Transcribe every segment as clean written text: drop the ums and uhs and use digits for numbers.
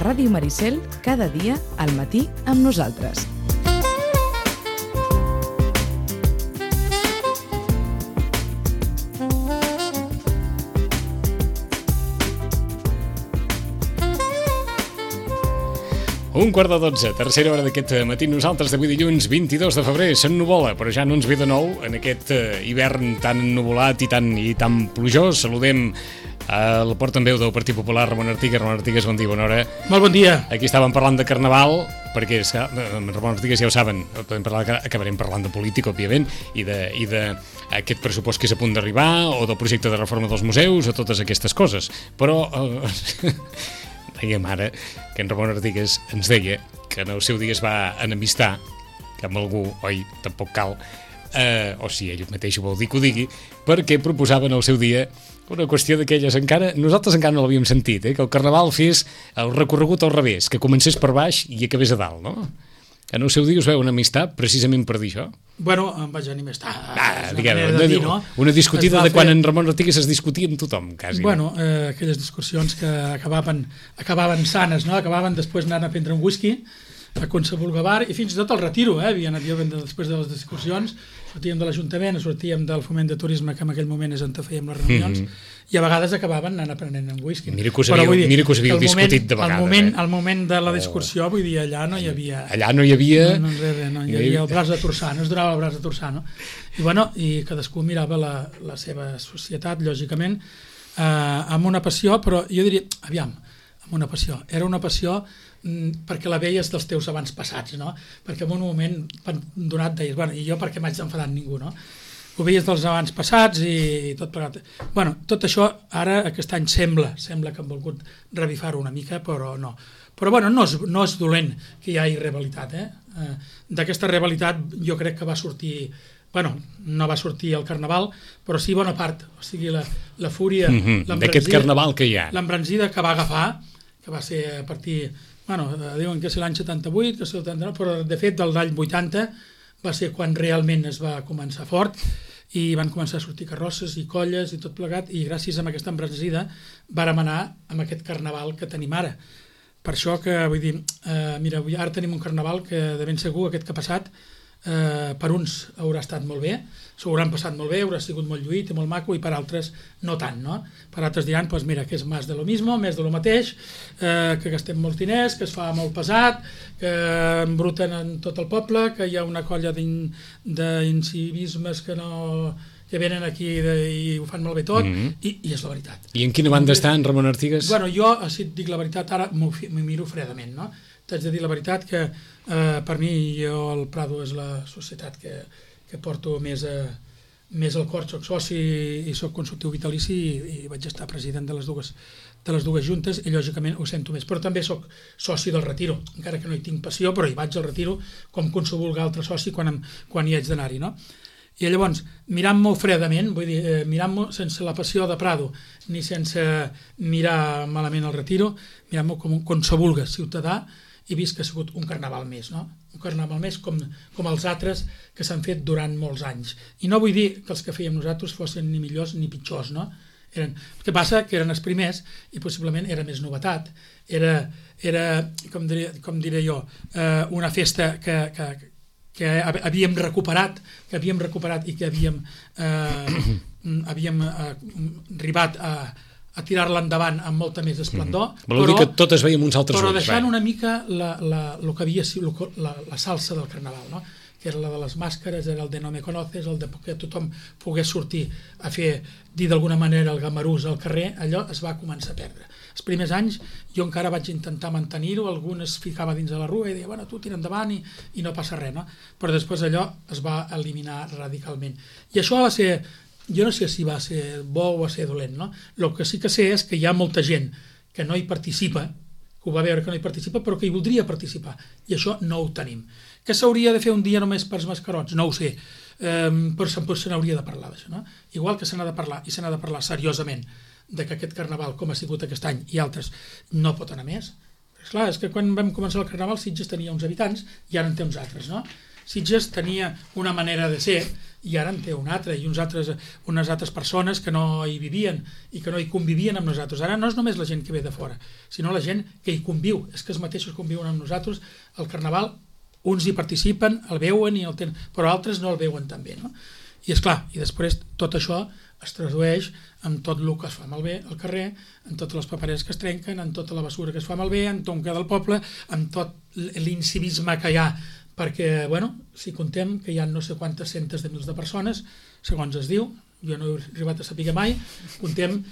Ràdio Maricel, cada dia al matí amb nosaltres. Un quart de 12, tercera hora d'aquest matí. Nosaltres d'avui dilluns 22 de febrer s'ennuvola, però ja no ens ve de nou en aquest hivern tan ennuvolat i tan plujós. Saludem al portaveu del Partit Popular, Ramon Artigas. Ramon Artigas, bon dia, bona hora. Molt bon dia. Aquí estàvem parlant de Carnaval, perquè Ramon Artigas ja ho saben, acabarem parlant de política, òbviament, i d'aquest pressupost que és a punt d'arribar, o del projecte de reforma dels museus, o totes aquestes coses. Però dèiem ara que en Ramon Artigas ens deia que en el seu dia es va enemistar amb algú, oi, tampoc cal, o si ell mateix ho vol dir que ho digui, perquè proposaven al seu dia una qüestió d'aquelles nosaltres encara no l'havíem sentit, que el Carnaval fes el recorregut al revés, que comencés per baix i acabés a dalt, no? En el seu dia us veu enemistar precisament per dir això? Bueno, em vaig enemistar. Una discutida de quan en Ramon Artigas es discutia amb tothom, quasi. Bueno, aquelles discussions que acabaven sanes, no? Acabaven després anant a prendre un whisky a qualsevol bar, i fins i tot al Retiro, havia anat jo després de les discussions, sortíem de l'Ajuntament, sortíem del Foment de Turisme, que en aquell moment és on fèiem les reunions, i a vegades acabaven anant a prenent un whisky. Mira que us havíeu discutit de vegades. Al moment de la discussió, vull dir, allà no hi havia... Allà no hi havia... No hi havia el braç de torçar, no es donava el braç de torçar, no? I bueno, i cadascú mirava la seva societat, lògicament, amb una passió, però jo diria, aviam, amb una passió. Era una passió perquè la veies dels teus abans passats, no? Perquè en un moment donat deies, bueno, i jo per què m'haig d'enfadar amb ningú, no? Ho veies dels abans passats i tot plegat. Bueno, tot això ara aquest any sembla que han volgut revifar-ho una mica, però no. Però bueno, no és dolent que hi hagi rivalitat, D'aquesta rivalitat jo crec que va sortir, bueno, no va sortir el Carnaval, però sí bona part, o sigui, la fúria, d'aquest Carnaval que hi ha. L'embranzida que va agafar, que va ser a partir, bueno, diuen que és l'any 78, que és el 79, però de fet del l'any 80 va ser quan realment es va començar fort, i van començar a sortir carrosses i colles i tot plegat, i gràcies a aquesta embranzida vàrem anar amb aquest Carnaval que tenim ara. Per això que, vull dir, mira, ara tenim un Carnaval que de ben segur aquest que ha passat per uns haurà estat molt bé, s'ho hauran passat molt bé, haurà sigut molt lluït i molt maco, i per altres no tant, no? Per altres diran, doncs mira, que és més de lo mismo, més de lo mateix, que gastem molts diners, que es fa molt pesat, que embruten en tot el poble, que hi ha una colla d'incivismes que venen aquí i ho fan molt bé tot, i és la veritat. I en quina banda està en Ramon Artigas? Bueno, jo, si et dic la veritat, ara m'ho miro fredament, no? T'haig de dir la veritat que per mi, jo el Prado és la societat que porto més al cor, soc soci i soc consultiu vitalici i vaig estar president de les dues juntes i lògicament ho sento més, però també soc soci del Retiro, encara que no hi tinc passió, però hi vaig al Retiro com qualsevol altre soci quan hi haig d'anar-hi, no? I llavors, mirant-m'ho fredament, vull dir, mirant-m'ho sense la passió de Prado, ni sense mirar malament el Retiro, mirant-m'ho com qualsevol ciutadà, he vist que ha sigut un Carnaval més, no? Un Carnaval més com els altres que s'han fet durant molts anys. I no vull dir que els que fèiem nosaltres fossin ni millors ni pitjors, no? El que passa que eren els primers i possiblement era més novetat. Era com diré jo, una festa que havíem recuperat i que havíem arribat a tirar-la endavant amb molta més esplendor. Vol dir que tot es veia amb uns altres ulls. Però deixant una mica el que havia sigut la salsa del Carnaval, no? Que era la de les màscares, era el de no me conoces, el de que tothom pogués sortir a dir d'alguna manera el gamarús al carrer, allò es va començar a perdre. Els primers anys jo encara vaig intentar mantenir-ho, algun es ficava dins de la rua i deia, bueno, tu tira endavant i no passa res, no? Però després allò es va eliminar radicalment. I això va ser, jo no sé si va ser bo o va ser dolent, no? El que sí que sé és que hi ha molta gent que no hi participa, que ho va veure que no hi participa, però que hi voldria participar, i això no ho tenim. Que s'hauria de fer un dia només pels mascarots? No ho sé, però se n'hauria de parlar d'això, no? Igual que se n'ha de parlar, i se n'ha de parlar seriosament, de que aquest Carnaval, com ha sigut aquest any i altres, no pot anar més. Esclar, és que quan vam començar el Carnaval Sitges tenia uns habitants i ara en té uns altres, no? Sitges tenia una manera de ser i ara en té un altre, i unes altres persones que no hi vivien i que no hi convivien amb nosaltres. Ara no és només la gent que ve de fora, sinó la gent que hi conviu, és que els mateixos conviuen amb nosaltres. El Carnaval, uns hi participen, el veuen, però altres no el veuen també, no? I és clar, i després tot això es tradueix en tot el que es fa malbé al carrer, en totes les papereres que es trenquen, en tota la basura que es fa malbé, en tot del poble, en tot l'incivisme que hi ha, perquè, bueno, si contem que hi ha no sé quantes centes de mils de persones, segons es diu, jo no he arribat a saber mai, contem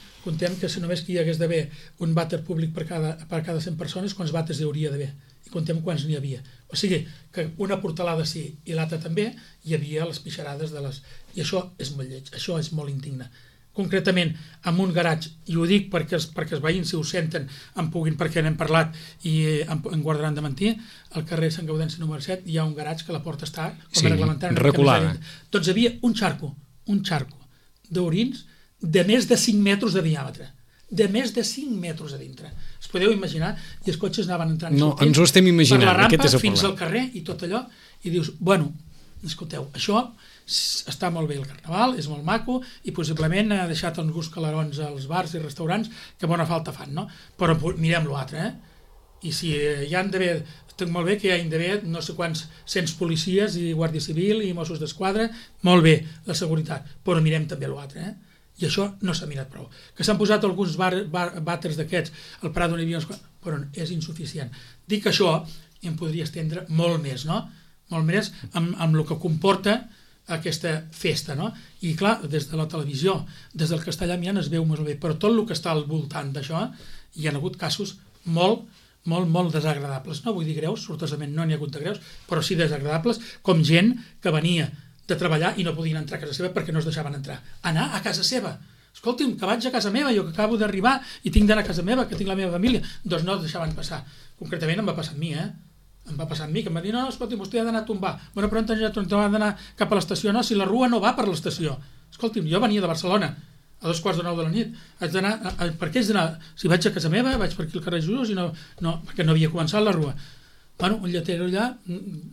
que si només que hi hagués d'haver un vàter públic per cada 100 persones, quants vàters hi hauria d'haver? I contem quants n'hi havia. O sigui, que una portalada sí i l'altra també, hi havia les pixarades de les... I això és molt lleig, això és molt indigne. Concretament, en un garatge, i ho dic perquè els veïns, si ho senten, perquè n'hem parlat i em guardaran de mentir, al carrer Sant Gaudenci número 7 hi ha un garatge que la porta està reglamentada. Reculada. Doncs hi havia un xarco d'orins de més de 5 metres de diàmetre. De més de 5 metres a dintre. Es podeu imaginar, i els cotxes anaven entrant i sortint ens ho estem imaginant, per la rampa fins al carrer i tot allò, i dius, bueno, escolteu, això està molt bé el Carnaval, és molt maco i possiblement ha deixat alguns calarons als bars i restaurants que bona falta fan, no? Però mirem l'altre, i si hi han d'haver, estic molt bé que hi hagin d'haver no sé quants cents policies i Guàrdia Civil i Mossos d'Esquadra, molt bé la seguretat, però mirem també l'altre, i això no s'ha mirat prou. Que s'han posat alguns vàters d'aquests al Prat on hi havia uns... però és insuficient. Dic això i em podria estendre molt més, no? Molt més amb el que comporta aquesta festa, no? I clar, des de la televisió, des del castellà mirant es veu molt bé, però tot el que està al voltant d'això hi ha hagut casos molt desagradables. No vull dir greus, sortosament no n'hi ha hagut de greus, però sí desagradables, com gent que venia de treballar i no podien entrar a casa seva perquè no es deixaven entrar. Anar a casa seva. Escolti'm, que vaig a casa meva, jo que acabo d'arribar i tinc d'anar a casa meva, que tinc la meva família. Doncs no es deixaven passar. Concretament em va passar amb mi, Em va passar amb mi, que em va dir, no, escolti'm, vostè ha d'anar a tombar. Bueno, però on ha d'anar cap a l'estació? No, si la rua no va per l'estació. Escolti'm, jo venia de Barcelona a 2:45 de la nit. Haig d'anar, per què haig d'anar? Si vaig a casa meva, vaig per aquí al carrer Jesús, perquè no havia començat la rua. Bueno, un lletero allà,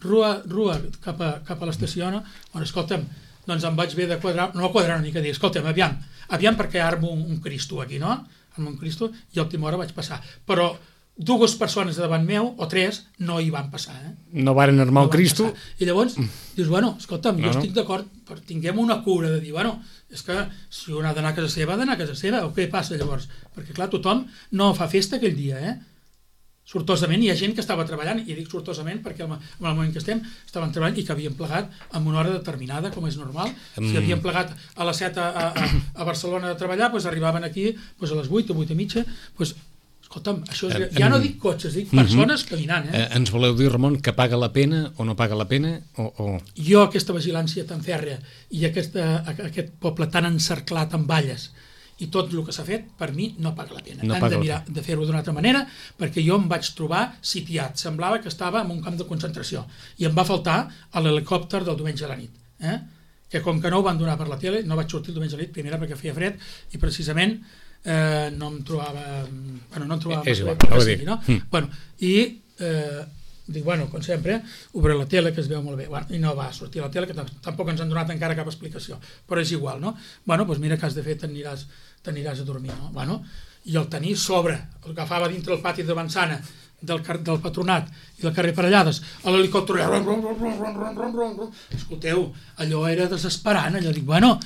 rua cap a l'estació, no? Bueno, escolta'm, doncs em vaig haver de quadrar una mica, dir, escolta'm, aviam perquè armo un Cristo aquí, no? Armo un Cristo i a última hora vaig passar. Però 2 persones davant meu, o 3, no hi van passar, No varen armar el Cristo. I llavors, dius, bueno, escolta'm, jo estic d'acord, però tinguem una cura de dir, bueno, és que si un ha d'anar a casa seva, ha d'anar a casa seva, o què passa llavors? Perquè, clar, tothom no fa festa aquell dia, Sortosament hi ha gent que estava treballant, i dic sortosament perquè en el moment que estem estaven treballant i que havien plegat en una hora determinada, com és normal. Si havien plegat a les 7 a Barcelona de treballar, doncs arribaven aquí a les 8 o 8 i mitja. Escolta'm, això ja no dic cotxes, dic persones caminant. Ens voleu dir, Ramon, que paga la pena o no paga la pena? Jo aquesta vigilància tan fèrrea i aquest poble tan encerclat amb valles i tot el que s'ha fet, per mi no paga la pena. Han de mirar de fer-ho d'una altra manera, perquè jo em vaig trobar sitiat. Semblava que estava en un camp de concentració. I em va faltar l'helicòpter del diumenge a la nit. Que com que no ho van donar per la tele, no vaig sortir el diumenge a la nit, primera perquè feia fred, i precisament no em trobava... Bueno, no em trobava... És igual, no? I dic, bueno, com sempre, obre la tele, que es veu molt bé. I no va sortir a la tele, que tampoc ens han donat encara cap explicació. Però és igual, no? Bueno, doncs mira que has de fer, t'aniràs a dormir, no? Bueno, i el tenir sobre, el agafava dintre el pati de Mansana, del Patronat i del carrer Parellades, a l'helicòpter, escolteu, allò era desesperant, allò dic, bueno,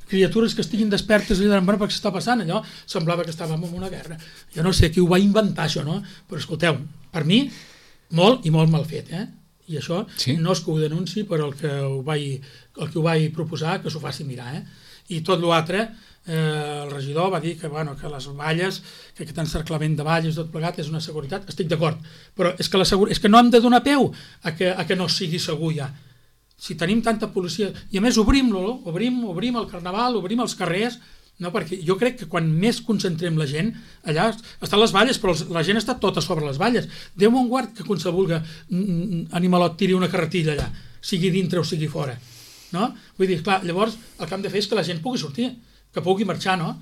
criatures que estiguin despertes i diran, bueno, per què s'està passant allò? Semblava que estàvem en una guerra. Jo no sé qui ho va inventar, això, no? Però escolteu, per mi, molt i molt mal fet, I això no és que ho denunci, però el que ho vaig proposar que s'ho faci mirar, I tot l'altre, el regidor va dir que les valles, que aquest encerclament de valles tot plegat és una seguretat, estic d'acord, però és que no hem de donar peu a que no sigui segur ja. Si tenim tanta policia, i a més obrim-lo, obrim el Carnaval, obrim els carrers, no, perquè jo crec que quan més concentrem la gent, allà estan les valles, però la gent està tota sobre les valles. Déu me'n guard que qualsevol animalot tiri una carretilla allà, sigui dintre o sigui fora. No? Vull dir, clar, llavors el que hem de fer és que la gent pugui sortir, que pugui marxar, no?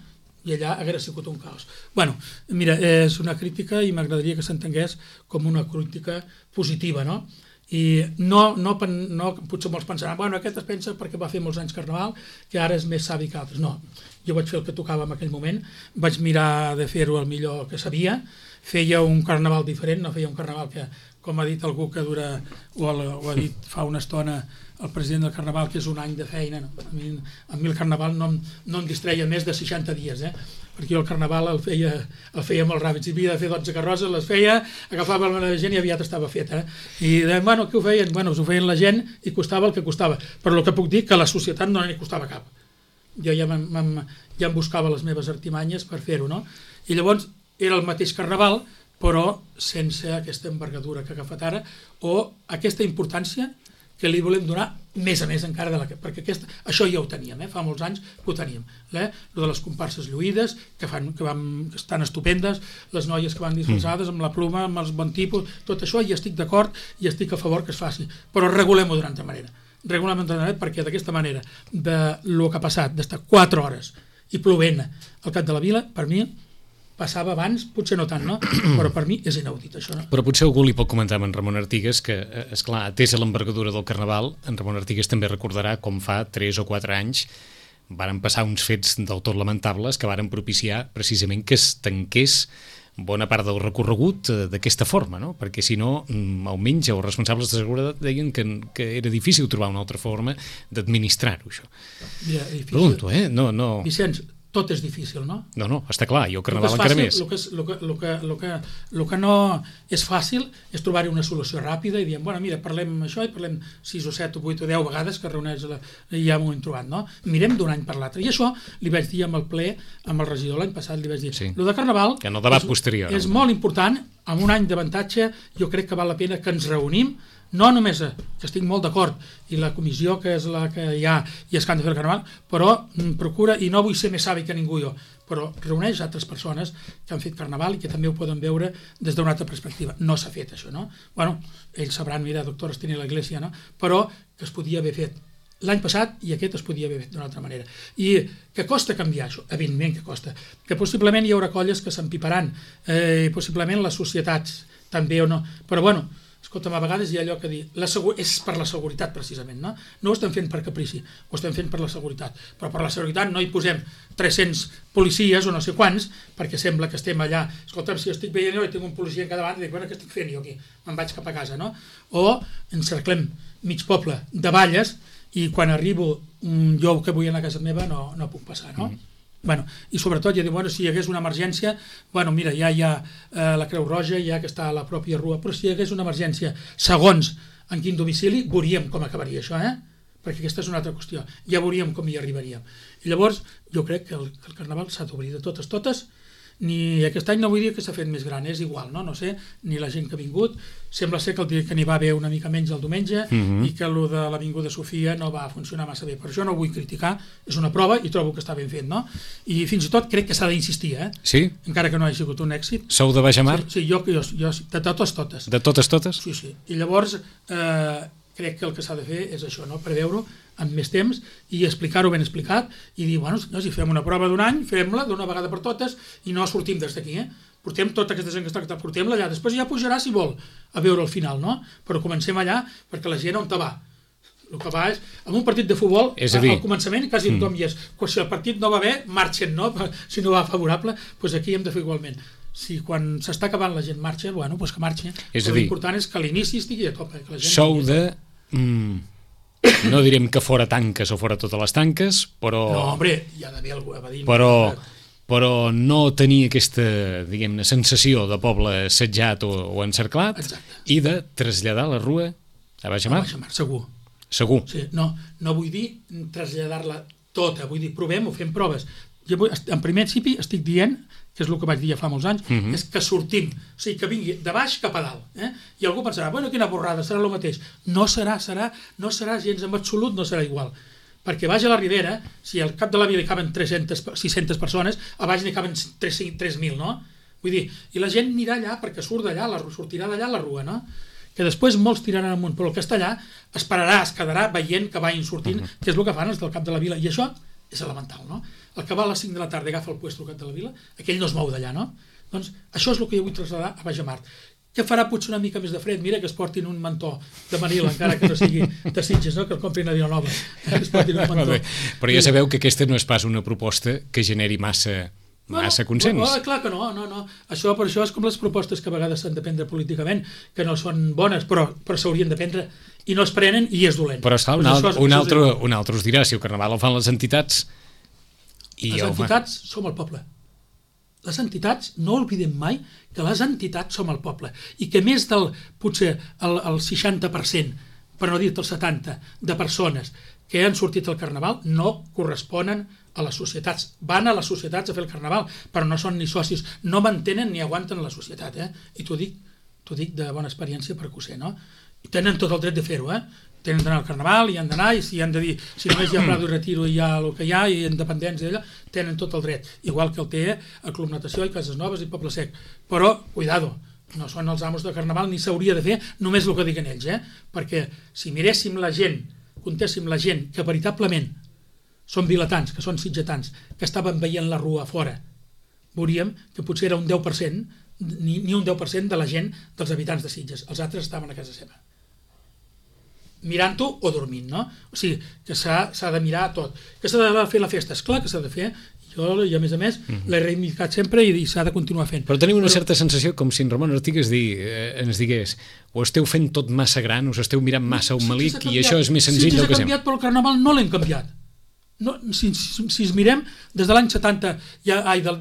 I allà haguera sigut un caos. Bueno, mira, és una crítica i m'agradaria que s'entengués com una crítica positiva, no? I potser molts pensaran, bueno, aquest es pensa perquè va fer molts anys Carnaval, que ara és més savi que altres. No, jo vaig fer el que tocava en aquell moment, vaig mirar de fer-ho el millor que sabia, feia un Carnaval diferent, no feia un Carnaval que, com ha dit algú que dura, o ha dit fa una estona el president del Carnaval, que és un any de feina. No? A mi el Carnaval no em distreia més de 60 dies, perquè jo el Carnaval el feia molt ràpid. Si havia de fer 12 carrosses, les feia, agafava la gent i aviat estava fet. I deien, bueno, què ho feien? Bueno, ho feien la gent i costava el que costava. Però el que puc dir que a la societat no n'hi costava cap. Jo ja em buscava les meves artimanyes per fer-ho, no? I llavors era el mateix Carnaval, però sense aquesta envergadura que ha agafat ara, o aquesta importància que li volem donar més a més encara perquè això ja ho teníem, fa molts anys que ho teníem, lo de les comparses lluïdes que estan estupendes, les noies que van disfressades amb la pluma, amb els bon tipus, tot això hi estic d'acord i estic a favor que es faci, però regulem-ho d'una altra manera, perquè d'aquesta manera del que ha passat, d'estar 4 hores i plovent al cap de la vila, per mi passava abans, potser no tant, no? Però per mi és inaudit, això. No? Però potser algú li pot comentar amb en Ramon Artigues que, esclar, atès a l'envergadura del Carnaval, en Ramon Artigues també recordarà com fa 3 o 4 anys varen passar uns fets del tot lamentables que varen propiciar precisament que es tanqués bona part del recorregut d'aquesta forma, no? Perquè si no, almenys els responsables de seguretat deien que era difícil trobar una altra forma d'administrar-ho, això. Mira, difícil. Pregunto, No. Vicenç, tot és difícil, no? No, està clar, i el Carnaval encara més. El que no és fàcil és trobar-hi una solució ràpida i diem, bueno, mira, parlem això i parlem 6 o 7 o 8 o 10 vegades que reuneix i ja m'ho hem trobat, no? Mirem d'un any per l'altre. I això li vaig dir amb el ple, amb el regidor l'any passat, li vaig dir, lo de Carnaval que no debat posterior, és molt important, amb un any d'avantatge, jo crec que val la pena que ens reunim, no només que estic molt d'acord i la comissió que és la que hi ha i és que han de fer el Carnaval, però procura, i no vull ser més savi que ningú jo, però reuneix altres persones que han fet Carnaval i que també ho poden veure des d'una altra perspectiva. No s'ha fet això, no? Bueno, ells sabran, mira, doctores tenir la Iglesia, no? Però que es podia haver fet l'any passat i aquest es podia haver fet d'una altra manera. I que costa canviar això? Evidentment que costa. Que possiblement hi haurà colles que s'empiparan, possiblement les societats també o no, però bueno, escolta'm, a vegades hi ha allò que dir, és per la seguretat precisament, no? No ho estem fent per caprici, ho estem fent per la seguretat, però per la seguretat no hi posem 300 policies o no sé quants, perquè sembla que estem allà, escolta'm, si estic veient jo i tinc un policia en cada banda, dic, bueno, què estic fent jo aquí? Me'n vaig cap a casa, no? O encerclem mig poble de valles i quan arribo jo que vull anar a casa meva no puc passar, no? Bueno, i sobretot ja diu, bueno, si hi hagués una emergència, bueno, mira, ja hi ha la Creu Roja, ja que està a la pròpia rua, però si hi hagués una emergència segons en quin domicili, veuríem com acabaria això, perquè aquesta és una altra qüestió, ja veuríem com hi arribaríem. I llavors, jo crec que el Carnaval s'ha d'obrir de totes, ni aquest any no vull dir que s'ha fet més gran, és igual, no sé, ni la gent que ha vingut, sembla ser que n'hi va haver una mica menys el diumenge i que el de l'Avinguda Sofia no va funcionar massa bé, per això no ho vull criticar, és una prova i trobo que està ben fet, no? I fins i tot crec que s'ha d'insistir, Sí? Encara que no hagi sigut un èxit. Sou de Baixamar? Sí, jo de totes. De totes? Sí, i llavors crec que el que s'ha de fer és això, no? Preveure-ho amb més temps i explicar-ho ben explicat i dir, bueno, si fem una prova d'un any, fem-la d'una vegada per totes i no sortim des d'aquí, portem tota aquesta gent que està, portem-la allà, després ja pujarà si vol a veure el final, no? Però comencem allà perquè la gent on te va. El que va és, en un partit de futbol, al començament quasi tothom hi és. Si el partit no va bé, marxen, no? Si no va favorable, doncs aquí hem de fer igualment. Si quan s'està acabant la gent marxa, bueno, doncs que marxi. Però l'important és que a l'inici estigui a tope. Sou de... No direm que fora tanques o fora totes les tanques, però... No, hombre, hi ha d'haver algú a dir... Però no tenir aquesta, diguem-ne, sensació de poble assetjat o encerclat. Exacte. I de traslladar la rua a Baixamar. A Baixamar, segur. Sí, no vull dir traslladar-la tota, vull dir, provem-ho, fem proves. En principi estic dient, que és el que vaig dir ja fa molts anys, és que sortim, o sigui, que vingui de baix cap a dalt. I algú pensarà, bueno, quina borrada, serà el mateix. No serà gens en absolut, no serà igual. Perquè baix a la Ribera, si al cap de la vila hi caben 600 persones, a baix n'hi caben 3.000, no? Vull dir, i la gent anirà allà perquè sortirà d'allà a la rua, no? Que després molts tiraran amunt, però el que està allà esperarà, es quedarà veient que vagin sortint, que és el que fan els del cap de la vila, i això és elemental, no? El que va a les 5 de la tarda i agafa el puesto al cap de la vila, aquell no es mou d'allà, no? Doncs això és el que jo vull traslladar a Baixamar, que farà potser una mica més de fred, mira que es portin un mantó de Manila, encara que no sigui de Sitges, no? Que el comprin a Vilanova, que es portin un mantó. Però ja sabeu que aquesta no és pas una proposta que generi massa consens. Clar que no. Això, per això és com les propostes que a vegades s'han de prendre políticament, que no són bones, però s'haurien de prendre i no es prenen i és dolent. Però esclar, un altre us dirà, si el carnaval el fan les entitats... Les entitats som el poble. Les entitats, no oblidem mai que les entitats som el poble i que més del, potser, el 60%, per no dir-te el 70%, de persones que han sortit al carnaval no corresponen a les societats. Van a les societats a fer el carnaval, però no són ni socis, no mantenen ni aguanten la societat. I t'ho dic de bona experiència perquè ho sé, no? I tenen tot el dret de fer-ho, tenen d'anar al carnaval i han d'anar, i si han de dir, si només hi ha Prado i Retiro i hi ha el que hi ha, i independents i allò, tenen tot el dret, igual que el té el Club Natació i Cases Noves i Poble Sec. Però, cuidado, no són els amos de carnaval ni s'hauria de fer només el que diguen ells, perquè si miréssim la gent, comptéssim la gent que veritablement són vilatans, que són sitgetans, que estaven veient la rua a fora, veuríem que potser era un 10%, ni un 10% de la gent dels habitants de Sitges, els altres estaven a casa seva. Mirant-ho o dormint, no? O sigui, que s'ha de mirar tot. Que s'ha de fer la festa? Esclar que s'ha de fer. Jo, i a més, l'he reivindicat sempre i s'ha de continuar fent. Però tenim una certa sensació com si en Ramon Artigas ens digués o esteu fent tot massa gran, us esteu mirant massa un malic i això és més senzill del que sembla. Sí, s'ha canviat, però el carnaval no l'hem canviat. Si es mirem, des de l'any 70, de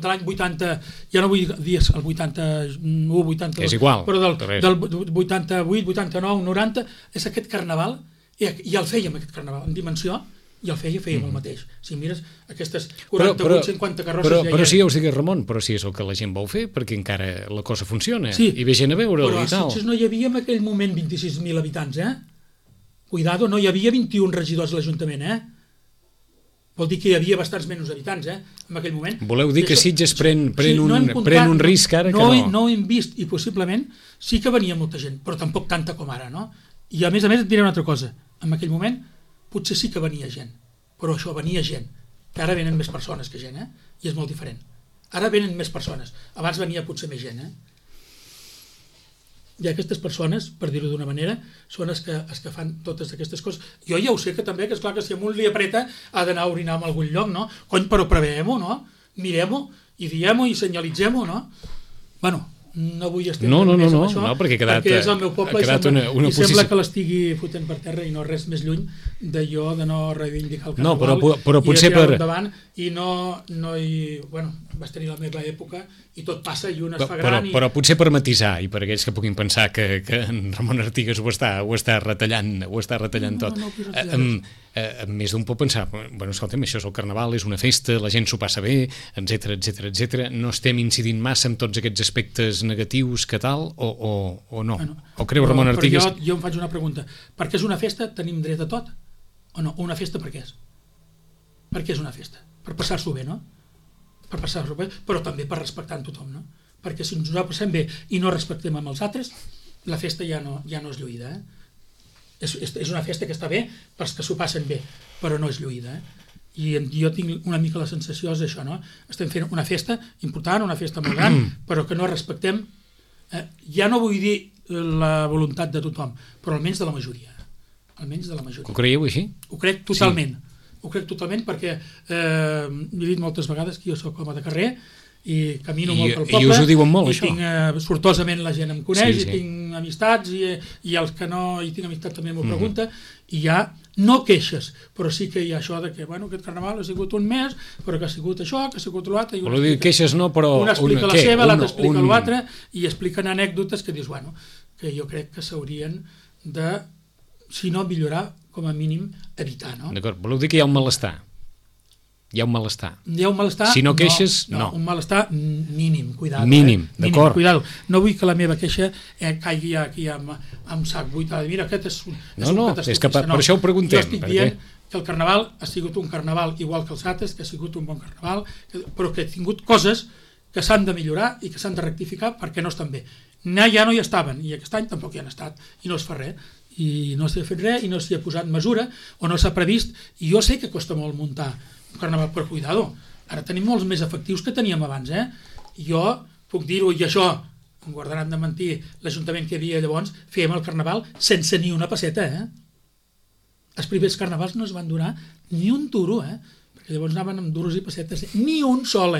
l'any 80, ja no vull dir el 81, 82, és igual, però del 88, 89, 90, és aquest carnaval, i el fèiem aquest carnaval, en dimensió, i el fèiem el mateix. Si mires aquestes 48, 50 carrosses... Però sí, ja us digués Ramon, però sí és el que la gent vol fer, perquè encara la cosa funciona, i ve gent a veure'l i tal. Però a Sitges no hi havia en aquell moment 26.000 habitants, Cuidado, no hi havia 21 regidors a l'Ajuntament, Vol dir que hi havia bastants menys habitants, en aquell moment. Voleu dir que Sitges pren un risc ara que no? No ho hem vist, i possiblement sí que venia molta gent, però tampoc tanta com ara, no? I a més et diré una altra cosa. En aquell moment potser sí que venia gent, però això venia gent, que ara venen més persones que gent, i és molt diferent. Ara venen més persones. Abans venia potser més gent, I aquestes persones, per dir-ho d'una manera, són els que fan totes aquestes coses. Jo ja ho sé que també, que és clar que si a un li apreta ha d'anar a orinar en algun lloc, no? Cony, però preveiem-ho, no? Mirem-ho i diem-ho i senyalitzem-ho, no? Bueno, no vull estendre més amb això, perquè és el meu poble i sembla que l'estigui fotent per terra i no res més lluny de jo de no reivindicar el carnaval i de tirar-ho endavant i no hi... Bueno, vas tenir la meva època i tot passa i un es fa gran però potser per matisar i per aquells que puguin pensar que en Ramon Artigas ho està retallant tot. Més d'un pot pensar, bueno, escolta'm, això és el carnaval, és una festa, la gent s'ho passa bé, etc. No estem incidint massa en tots aquests aspectes negatius que tal, o no? O creu Ramon Artigas? Jo em faig una pregunta. Per què és una festa? Tenim dret a tot? O no? Una festa per què és? Per què és una festa? Per passar-s'ho bé, no? Per passar-s'ho bé, però també per respectar en tothom, no? Perquè si ens ho passem bé i no respectem amb els altres, la festa ja no és lluïda, És una festa que està bé pels que s'ho passen bé, però no és lluïda, I jo tinc una mica la sensació d'això, no? Estem fent una festa important, una festa molt gran, però que no respectem, ja no vull dir la voluntat de tothom, però almenys de la majoria. Ho creieu així? Ho crec totalment. Ho crec totalment perquè he dit moltes vegades que jo soc home de carrer i camino molt pel poble. I us ho diuen molt, això. I tinc, sortosament la gent em coneix, i tinc amistats, i els que no hi tinc amistat també m'ho pregunta, i hi ha no queixes, però sí que hi ha això de que, bueno, aquest carnaval ha sigut un mes, però que ha sigut això, que ha sigut l'altre... Vol dir queixes no, però... Una explica la seva, l'altre explica l'altre, i expliquen anècdotes que dius, bueno, que jo crec que s'haurien de, si no millorar, com a mínim, evitar, no? D'acord, voleu dir que hi ha un malestar? Hi ha un malestar. Si no queixes, no. Un malestar mínim, cuidado. Mínim, d'acord. Cuidado. No vull que la meva queixa caigui aquí amb sac buit. Mira, aquest és un catastrofista. És que per això ho preguntem. Jo estic dient que el carnaval ha sigut un carnaval igual que els altres, que ha sigut un bon carnaval, però que ha tingut coses que s'han de millorar i que s'han de rectificar perquè no estan bé. Ja no hi estaven, i aquest any tampoc hi han estat, i no es fa res. I no s'ha fet res, i no s'hi ha posat mesura, o no s'ha previst, i jo sé que costa molt muntar un carnaval, però cuidado, ara tenim molts més efectius que teníem abans, Jo puc dir-ho, i això em guardaran de mentir, l'Ajuntament que hi havia llavors, fèiem el carnaval sense ni una pesseta, Els primers carnavals no es van donar ni un duro, perquè llavors anaven amb duros i pessetes, ni un sol,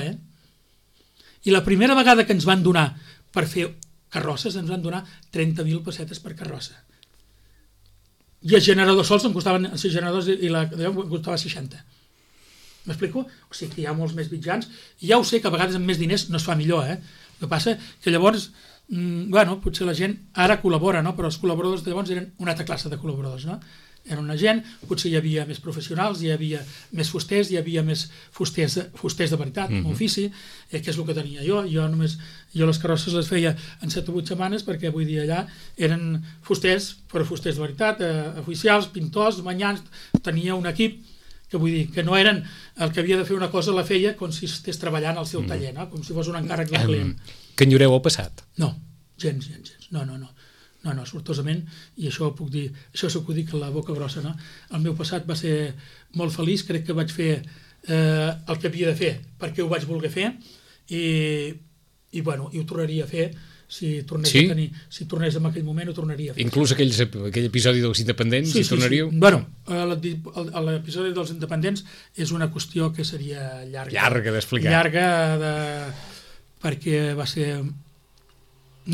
I la primera vegada que ens van donar per fer carrosses, ens van donar 30.000 pessetes per carrossa. I els generadors sols em costaven, els generadors i la em costava 60. M'explico? O sigui que hi ha molts més mitjans, i ja ho sé que a vegades amb més diners no es fa millor, El que passa que llavors, potser la gent ara col·labora, no? Però els col·laboradors de llavors eren una altra classe de col·laboradors, no? Era una gent, potser hi havia més professionals, hi havia més fusters, hi havia més fusters de veritat, ofici, que és el que tenia jo. Jo les carrosses les feia en 7 o 8 setmanes, perquè vull dir, allà eren fusters, però fusters de veritat, oficials, pintors, manyans, tenia un equip que vull dir, que no eren el que havia de fer una cosa, la feia com si estés treballant al seu taller, no? Com si fos un encàrrec d'un client. Que enyoreu el passat? No, gens. No, sortosament, i això puc dir, això s'ho puc dir que la boca grossa, no? El meu passat va ser molt feliç, crec que vaig fer el que havia de fer perquè ho vaig voler fer, i ho tornaria a fer si tornés en aquell moment, ho tornaria a fer. Inclús aquell episodi dels independents, hi tornaríeu? L'episodi dels independents és una qüestió que seria llarga d'explicar. Perquè va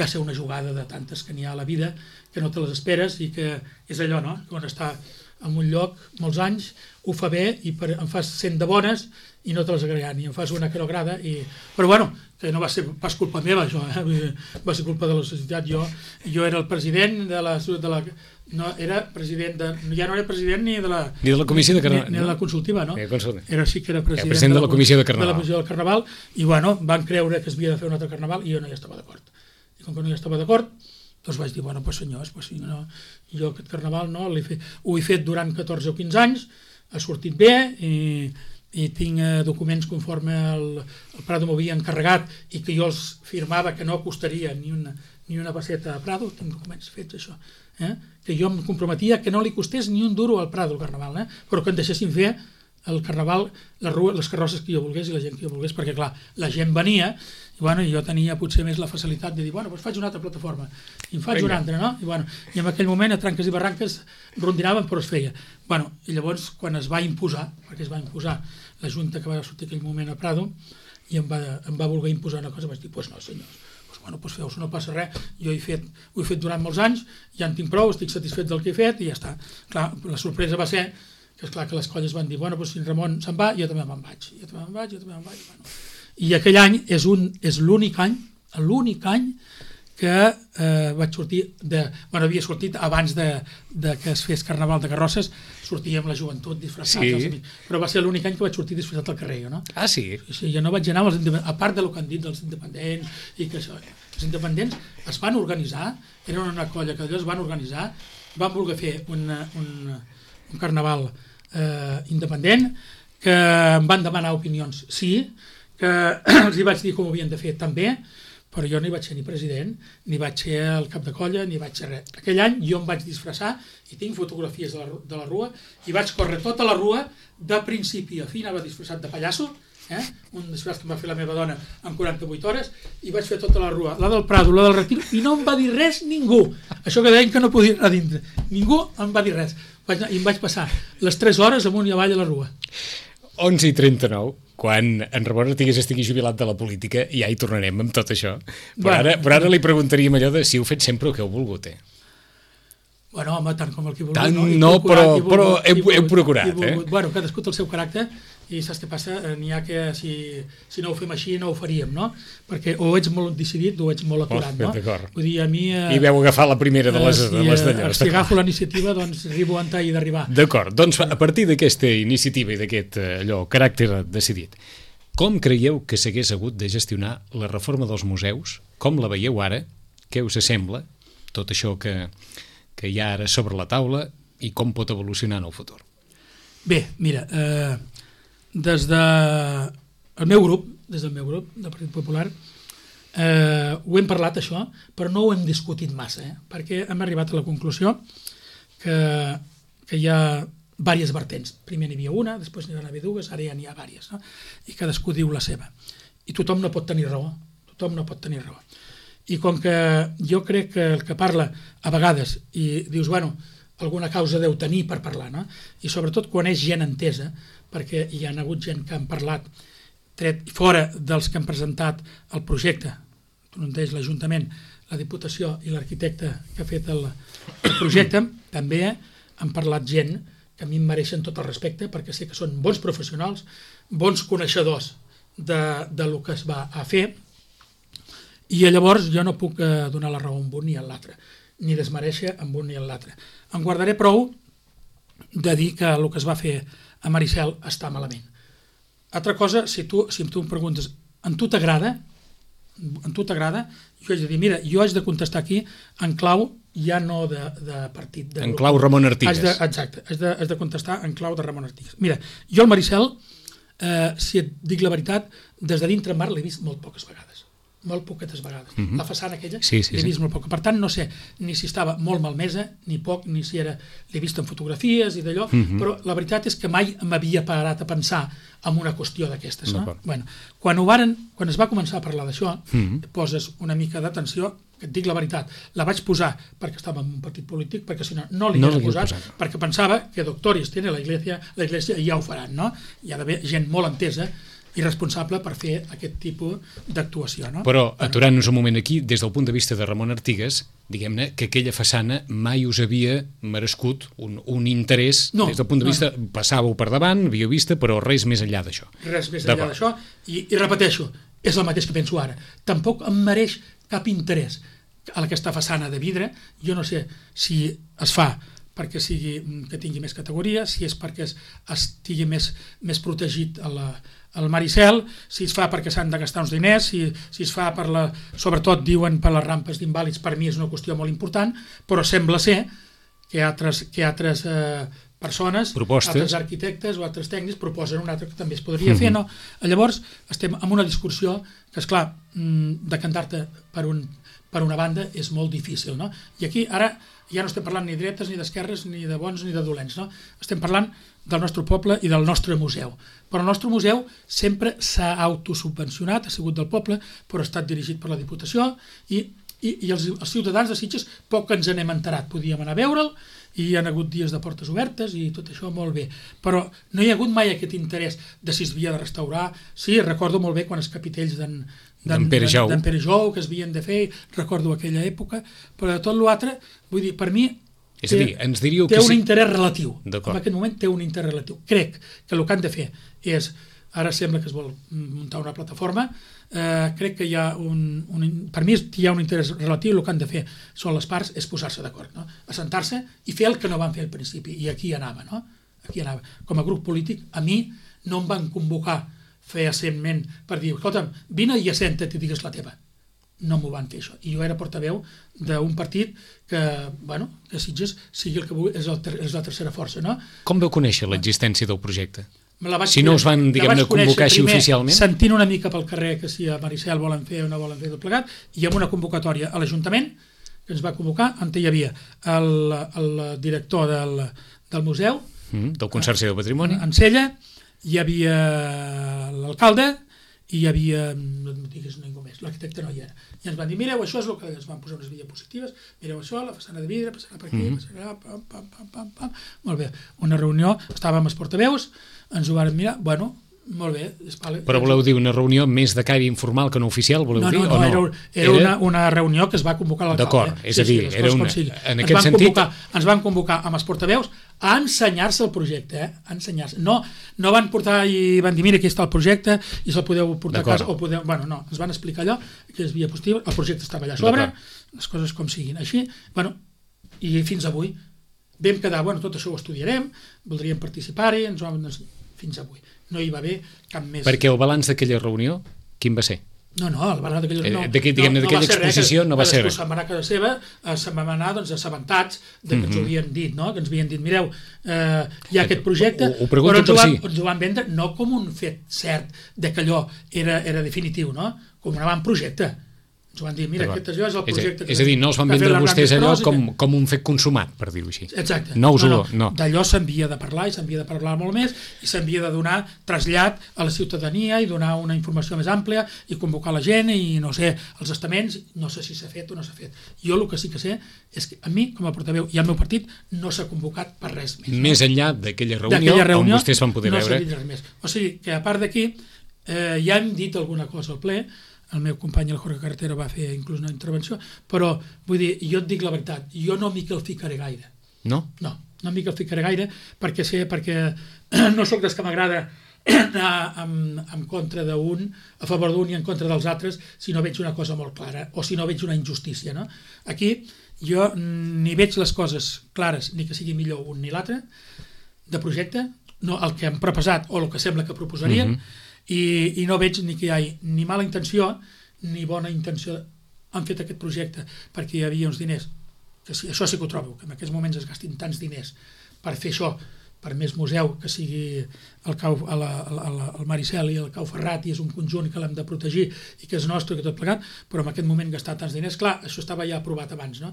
ser una jugada de tantes que n'hi ha a la vida, que no te les esperes, i que és allò, no? Quan està en un lloc molts anys, ho fa bé i em fas 100 de bones i no te les agraden, i em fas una que no agrada, però que no va ser pas culpa meva, això, va ser culpa de la societat. Jo era el president de la no era president ja no era president ni de la comissió de Carnaval, ni de la consultiva, no? Sí que era president de la comissió de Carnaval. De la comissió del Carnaval, i van creure que es havia de fer un altre Carnaval i jo no hi estava d'acord. I com que no hi estava d'acord, doncs vaig dir, senyors, jo aquest Carnaval ho he fet durant 14 o 15 anys, ha sortit bé, i tinc documents conforme el Prado m'havia encarregat i que jo els firmava que no costaria ni una pesseta a Prado, tinc documents fets això, que jo em comprometia que no li costés ni un duro al Prado el Carnaval, però que em deixessin fer el Carnaval, les carrosses que jo volgués i la gent que jo volgués, perquè clar, la gent venia i jo tenia potser més la facilitat de dir, faig una altra plataforma, i en faig una altra, no? I en aquell moment a tranques i barranques rondinaven, però es feia. I llavors, quan es va imposar, perquè es va imposar la Junta que va sortir aquell moment a Prado, i em va voler imposar una cosa, vaig dir, no, senyors, feu-s'ho, no passa res, jo ho he fet durant molts anys, ja en tinc prou, estic satisfet del que he fet, i ja està. Clar, la sorpresa va ser que és clar que les colles van dir, si en Ramon se'n va, jo també me'n vaig. I aquell any és l'únic any que vaig sortir havia sortit abans de que es fes Carnaval de Carrosses, sortia amb la joventut disfressats, però va ser l'únic any que vaig sortir disfressat al carrer, no? Ah, sí? Sí, jo no vaig anar als independents, a part del que han dit dels independents, i que això, els independents es van organitzar, eren una colla que allò es van organitzar, van voler fer un carnaval independent, que em van demanar opinions, sí, que els hi vaig dir com ho havien de fer també, però jo no hi vaig ser ni president, ni vaig ser el cap de colla, ni vaig ser res. Aquell any jo em vaig disfressar, i tinc fotografies de la rua, i vaig córrer tota la rua, de principi a fi, anava disfressat de pallasso, un disfress que em va fer la meva dona en 48 hores, i vaig fer tota la rua, la del Prado, la del Retiro, i no em va dir res ningú. Això que deien que no podia anar a dintre. Ningú em va dir res. I em vaig passar les 3 hores amunt i avall a la rua. 11:39, quan en Ramon Artigues estigui jubilat de la política, ja hi tornarem amb tot això. Però ara li preguntaríem allò de si heu fet sempre el que heu volgut, Home, tant com el que he volgut. Tant no, però heu procurat, Cadascú té el seu caràcter, i saps què passa? N'hi ha que si no ho fem així no ho faríem, no? Perquè o ets molt decidit o ets molt aturat, no? D'acord. Vull dir, a mi... I veu agafar la primera de les d'allò. Si agafo la iniciativa, doncs arribo on he d'arribar. D'acord, doncs a partir d'aquesta iniciativa i d'aquest caràcter decidit, com creieu que s'hagués hagut de gestionar la reforma dels museus? Com la veieu ara? Què us sembla? Tot això que hi ha ara sobre la taula i com pot evolucionar en el futur? Bé, mira, des del meu grup del Partit Popular, ho hem parlat això, però no ho hem discutit massa, perquè hem arribat a la conclusió que hi ha diverses vertents. Primer n'hi havia una, després n'hi va haver dues, ara ja n'hi ha diverses, no? I cadascú diu la seva. I tothom no pot tenir raó. I com que jo crec que el que parla a vegades i dius, bueno, alguna causa deu tenir per parlar, no? I sobretot quan és gent entesa, perquè hi ha hagut gent que han parlat tret fora dels que han presentat el projecte, un d'ells l'Ajuntament, la Diputació i l'arquitecte que ha fet el projecte, també han parlat gent que a mi em mereixen tot el respecte perquè sé que són bons professionals, bons coneixedors de lo que es va a fer, i llavors jo no puc donar la raó a un ni a l'altre, ni desmereixer amb un ni a l'altre. Em guardaré prou de dir que el que es va fer a Maricel està malament. Altra cosa, si tu em preguntes, en tu t'agrada? En tu t'agrada? Jo haig de dir, mira, jo haig de contestar aquí en clau ja no de partit. En clau Ramon Artigas. Exacte, has de contestar en clau de Ramon Artigas. Mira, jo el Maricel, si et dic la veritat, des de dintre mar l'he vist molt poques vegades. Molt poquetes vegades. La façana aquella l'he vist molt poc. Per tant, no sé ni si estava molt malmesa, ni poc, ni si era... L'he vist en fotografies i d'allò, però la veritat és que mai m'havia parat a pensar en una qüestió d'aquestes. No? Bueno, quan es va començar a parlar d'això, poses una mica d'atenció, que et dic la veritat, la vaig posar perquè estava en un partit polític, perquè si no li havia posat, perquè pensava que doctores tiene la iglesia i ja ho faran, no? Hi ha d'haver gent molt entesa i responsable per fer aquest tipus d'actuació. No? Però, aturant-nos un moment aquí, des del punt de vista de Ramon Artigas, diguem-ne que aquella façana mai us havia merescut un interès, des del punt de vista, passàveu per davant, havíeu vista, però res més enllà d'això. Res més enllà d'això, i repeteixo, és el mateix que penso ara. Tampoc em mereix cap interès a aquesta façana de vidre. Jo no sé si es fa perquè que tingui més categoria, si és perquè estigui més protegit el Maricel, si es fa perquè s'han de gastar uns diners, si es fa sobretot diuen per les rampes d'invàlids, per mi és una qüestió molt important, però sembla ser que altres persones, altres arquitectes o altres tècnics proposen un altre que també es podria fer, no? Llavors estem en una discussió que, esclar, decantar-te per una banda és molt difícil, no? I aquí ara ja no estem parlant ni de dretes, ni d'esquerres, ni de bons ni de dolents, no? Estem parlant del nostre poble i del nostre museu. Però el nostre museu sempre s'ha autosubvencionat, ha sigut del poble, però ha estat dirigit per la Diputació i els ciutadans de Sitges poc ens n'hem enterat. Podíem anar a veure'l i hi ha hagut dies de portes obertes i tot això molt bé. Però no hi ha hagut mai aquest interès de si es havia de restaurar. Sí, recordo molt bé quan els capitells d'en Pere Jou que es havien de fer, recordo aquella època, però de tot l'altre, vull dir, per mi és a dir, ens diríeu té un interès relatiu. En aquest moment té un interès relatiu. Crec que el que han de fer és, ara sembla que es vol muntar una plataforma, crec que hi ha per mi hi ha un interès relatiu, el que han de fer són les parts, és posar-se d'acord, no? Assentar-se i fer el que no van fer al principi, i aquí anava, no? Aquí anava. Com a grup polític, a mi no em van convocar fehacentment per dir, escolta'm, vine i assenta't i digues la teva. No m'ho van fer això. I jo era portaveu d'un partit que, bueno, que Sitges sigui el que és la tercera força, no? Com vau conèixer l'existència del projecte? Si no us van, diguem-ne, convocar així oficialment? Sentint una mica pel carrer que si a Maricel volen fer o no volen fer tot plegat, i amb una convocatòria a l'Ajuntament, que ens va convocar, on hi havia el director del museu, del Consorci del Patrimoni, en Sella, hi havia l'alcalde, i hi havia, no em digues ningú més, l'arquitecte no hi era. I ens van dir, mireu, això és el que ens van posar unes diapositives, mireu això, la façana de vidre, passarà per aquí, passarà, pam. Molt bé, una reunió, estàvem els portaveus, ens ho van mirar, bueno, molt bé. Però voleu dir una reunió més de caire informal que no oficial, voleu dir? No, era una reunió que es va convocar l'alcalde. D'acord, és a dir, era una... En aquest sentit... Ens van convocar amb els portaveus a ensenyar-se el projecte, a ensenyar-se. No van portar i van dir, mira, aquí està el projecte i se'l podeu portar a casa, o podeu... Bueno, no, ens van explicar allò, que es havia positiu, el projecte estava allà a sobre, les coses com siguin. Així, bueno, i fins avui vam quedar, bueno, tot això ho estudiarem, voldríem participar-hi, fins avui. No hi va haver cap més... Perquè el balanç d'aquella reunió, quin va ser? No, el balanç d'aquella reunió... D'aquella exposició no va ser res. Se'n va anar a casa seva, se'n va anar assabentats que ens ho havien dit, no? Que ens havien dit, mireu, hi ha aquest projecte, però ens ho van vendre no com un fet cert de que allò era definitiu, no? Com un avantprojecte. Ens van dir, mira, aquest allò és el projecte... És a dir, no els van vendre vostès allò com un fet consumat, per dir-ho així. Exacte. No. D'allò s'havia de parlar i s'havia de parlar molt més i s'havia de donar trasllat a la ciutadania i donar una informació més àmplia i convocar la gent i, no sé, els estaments, no sé si s'ha fet o no s'ha fet. Jo el que sí que sé és que a mi, com a portaveu i al meu partit, no s'ha convocat per res més. Més enllà d'aquella reunió on vostès van poder veure... No s'ha dit res més. O sigui, que a part d'aquí, ja hem dit alguna cosa al ple. El meu company, el Jorge Carretero, va fer inclús una intervenció, però, vull dir, jo et dic la veritat, jo no m'hi calficaré gaire. No? No m'hi calficaré gaire, perquè no sóc des que m'agrada anar en contra d'un, a favor d'un i en contra dels altres, si no veig una cosa molt clara, o si no veig una injustícia, no? Aquí, jo ni veig les coses clares, ni que sigui millor un ni l'altre, de projecte, no el que han proposat o el que sembla que proposarien, i no veig ni que hi hagi ni mala intenció ni bona intenció. Han fet aquest projecte perquè hi havia uns diners, que sí, això sí que ho trobo, que en aquests moments es gastin tants diners per fer això, per més museu que sigui el Maricel i el Cau Ferrat, i és un conjunt que l'hem de protegir i que és nostre, que tot plegat, però en aquest moment gastar tants diners, clar, això estava ja aprovat abans, no?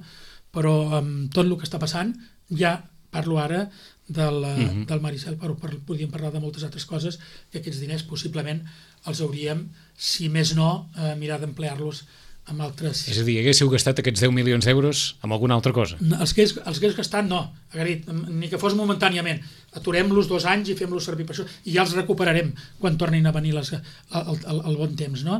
Però amb tot el que està passant, ja parlo ara del Maricel, però podríem parlar de moltes altres coses, que aquests diners possiblement els hauríem, si més no, mirar d'emplear-los amb altres... És a dir, haguéssiu gastat aquests 10 milions d'euros amb alguna altra cosa? Els que hagués gastat, no, Agarit, ni que fos momentàniament. Aturem-los 2 anys i fem-los servir per això, i ja els recuperarem quan tornin a venir el bon temps, no?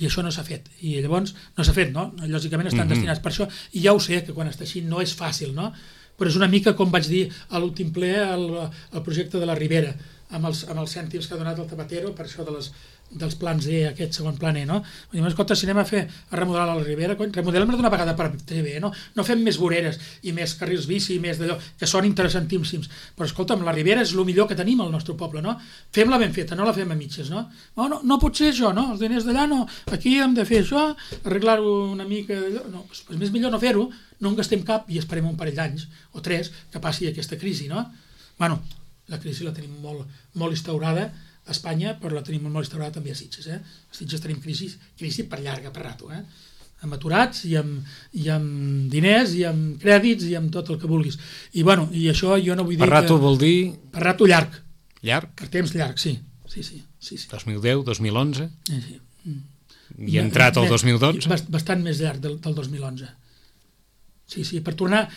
I això no s'ha fet, i llavors no s'ha fet, no? Lògicament estan destinats per això, i ja ho sé, que quan està així no és fàcil, no? Però és una mica com vaig dir a l'últim ple el projecte de la Ribera, amb els cèntims que ha donat el Zapatero per això dels plans E, aquest segon plan E, no? Vull dir, escolta, si anem a remodelar la Ribera, remodelem-la d'una vegada per bé, no? No fem més voreres i més carrils bici i més d'allò, que són interessantíssims, però escolta'm, la Ribera és el millor que tenim al nostre poble, no? Fem-la ben feta, no la fem a mitges, no? No pot ser això, no? Els diners d'allà no, aquí hem de fer això, arreglar-ho una mica d'allò, no, doncs més millor no fer-ho, no en gastem cap i esperem un parell d'anys o 3 que passi aquesta crisi, no? Bueno, la crisi la tenim molt instaurada a Espanya, però la tenim molt instaurada també a Sitges, A Sitges tenim crisi per llarga, per rato, amb aturats i amb diners i amb crèdits i amb tot el que vulguis. I bueno, i això jo no vull dir... Per rato vol dir... Per rato llarg. Llarg? Per temps llarg, sí. 2010, 2011? Sí. I entrat el 2012? Bastant més llarg del 2011. Sí, per tornar...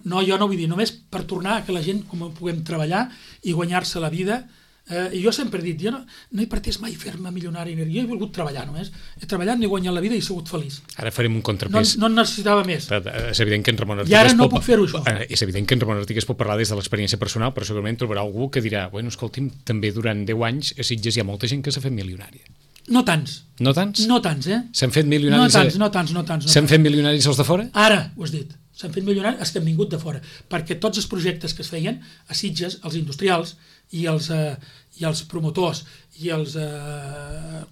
No, jo no vull dir, només per tornar a que la gent com puguem treballar i guanyar-se la vida. I jo sempre he dit, jo no he pretès mai fer-me milionari, jo he volgut treballar només. He treballat, n'he guanyat la vida i he sigut feliç. Ara farem un contrapès. No en necessitava més. És evident que en Ramon Artigas... I ara no puc fer-ho, això. És evident que en Ramon Artigas pot parlar des de l'experiència personal, però segurament trobarà algú que dirà, bueno, escolti'm, també durant 10 anys a Sitges hi ha molta gent que s'ha fet milionària. No tants. No tants? No tants, S'han fet milionaris... No tants. S'han fet milionaris els de fora? Ara, ho has dit. S'han fet milionaris els que han vingut de fora, perquè tots els projectes que es feien a Sitges, els industrials i els promotors i els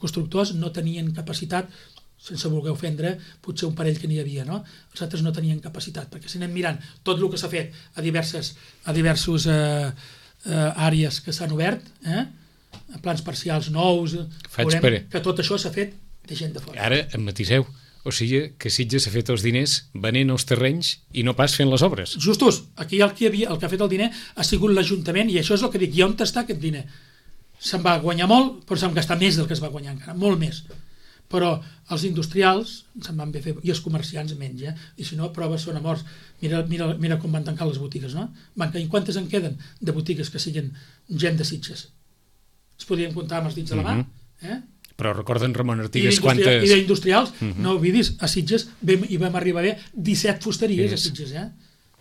constructors no tenien capacitat, sense voler ofendre, potser un parell que n'hi havia, no? Els altres no tenien capacitat, perquè si anem mirant tot el que s'ha fet a diversos àrees que s'han obert, plans parcials nous, veurem que tot això s'ha fet de gent de fora. Ara em matiseu. O sigui que Sitges ha fet els diners venent els terrenys i no pas fent les obres. Justos, aquí el que ha fet el diner ha sigut l'Ajuntament, i això és el que dic, i on està aquest diner? Se'n va guanyar molt, però se'n gastar més del que es va guanyar encara, molt més. Però els industrials se'n van bé fer, i els comerciants menys, i si no, proves són a morts. Mira com van tancar les botigues, no? Quantes en queden de botigues que siguin gent de Sitges? Es podien comptar amb els dits de la mà, Però recorden, Ramon Artigas, quantes... I d'industrials, no oblidis, a Sitges hi vam arribar a 17 fusteries a Sitges,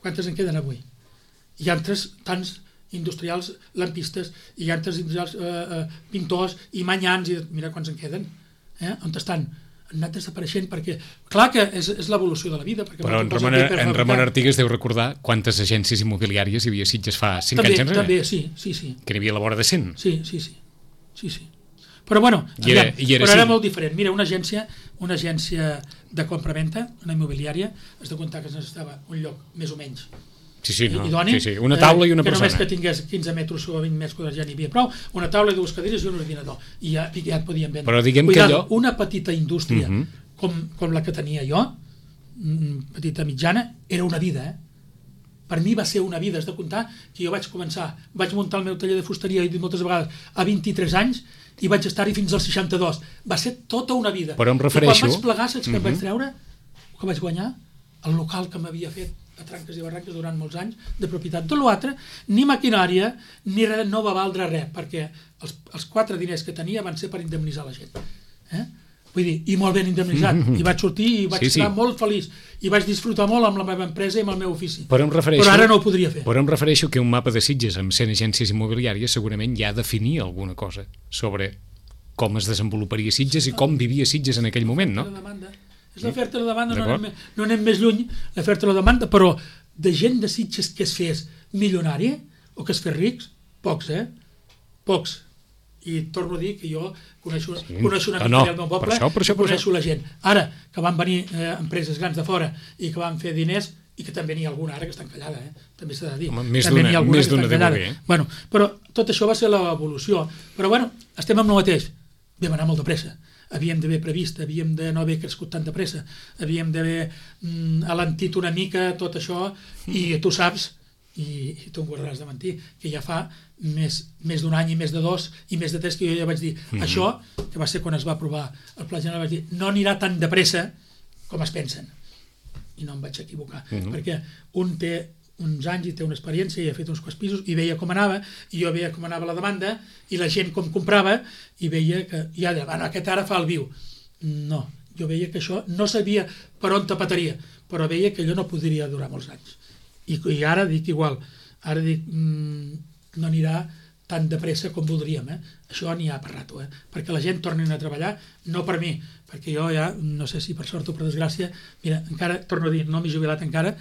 Quantes en queden avui? Hi ha tants industrials lampistes, hi ha tants industrials pintors i manyans, i mira quants en queden, on estan? Han anat desapareixent perquè, clar que és l'evolució de la vida. Però en Ramon Artigas deu recordar quantes agències immobiliàries hi havia a Sitges fa 5 anys enrere. També, sí. Que n'hi havia a la vora de 100. Sí. Però bueno, era molt diferent. Mira, una agència de compra-venta, una immobiliària, has de comptar que es necessitava un lloc més o menys idoni, una taula i una persona. Que només que tingués 15 metres o 20 metres quadrats ja n'hi havia prou, una taula i 2 cadires i un ordinador, i ja et podien vendre. Però diguem que allò... Una petita indústria com la que tenia jo, petita mitjana, era una vida, Per mi va ser una vida, has de comptar que jo vaig muntar el meu taller de fusteria, he dit moltes vegades, a 23 anys, i vaig estar-hi fins als 62. Va ser tota una vida. Però em refereixo... I quan vaig plegar, saps què em vaig treure? El que vaig guanyar? El local que m'havia fet a Tranques i Barranques durant molts anys, de propietat. Tot l'altre, ni maquinària, ni res, no va valdre res, perquè els 4 diners que tenia van ser per indemnitzar la gent. Vull dir, i molt ben indemnitzat. I vaig sortir i vaig estar molt feliç. I vaig disfrutar molt amb la meva empresa i amb el meu ofici. Però ara no ho podria fer. Però em refereixo que un mapa de Sitges amb 100 agències immobiliàries segurament ja definia alguna cosa sobre com es desenvoluparia Sitges i com vivia Sitges en aquell moment, no? És l'oferta i la demanda, no anem més lluny, l'oferta i la demanda, però de gent de Sitges que es fes milionària o que es fes rics, pocs, Pocs. I torno a dir que jo coneixo una mica del meu poble i coneixo la gent. Ara, que van venir empreses grans de fora i que van fer diners, i que també n'hi ha alguna ara que està encallada, també s'ha de dir. Més d'una deu haver. Bueno, però tot això va ser l'evolució. Però bueno, estem amb el mateix. Vam anar molt de pressa. Havíem d'haver previst, havíem de no haver crescut tan de pressa, havíem d'haver alentit una mica tot això, i tu saps, i tu em guardaràs de mentir, que ja fa més d'un any i més de 2 i més de 3 que jo ja vaig dir això, que va ser quan es va aprovar el Pla General, vaig dir, no anirà tan de pressa com es pensen, i no em vaig equivocar, perquè un té uns anys i té una experiència i ha fet uns quants pisos i veia com anava, i jo veia com anava la demanda i la gent com comprava, i veia que ja deia, bueno, aquest ara fa el viu. No, jo veia que això no sabia per on tapataria, però veia que allò no podria durar molts anys. I ara dic igual, ara dic no anirà tan de pressa com voldríem, això n'hi ha per rato, perquè la gent torni a treballar, no per mi, perquè jo ja, no sé si per sort o per desgràcia, mira, encara, torno a dir, no m'he jubilat encara,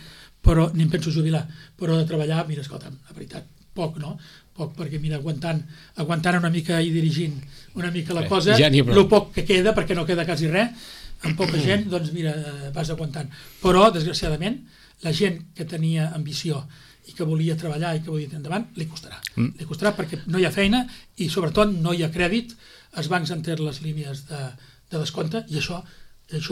però ni em penso jubilar, però de treballar, mira, escolta'm, la veritat, poc, no? Poc, perquè mira, aguantant una mica i dirigint una mica la cosa, el poc que queda, perquè no queda quasi res, amb poca gent, doncs mira, vas aguantant. Però, desgraciadament, la gent que tenia ambició i que volia treballar i que volia tirar endavant, li costarà. Li costarà perquè no hi ha feina i sobretot no hi ha crèdit, els bancs han tret les línies de descompte, i això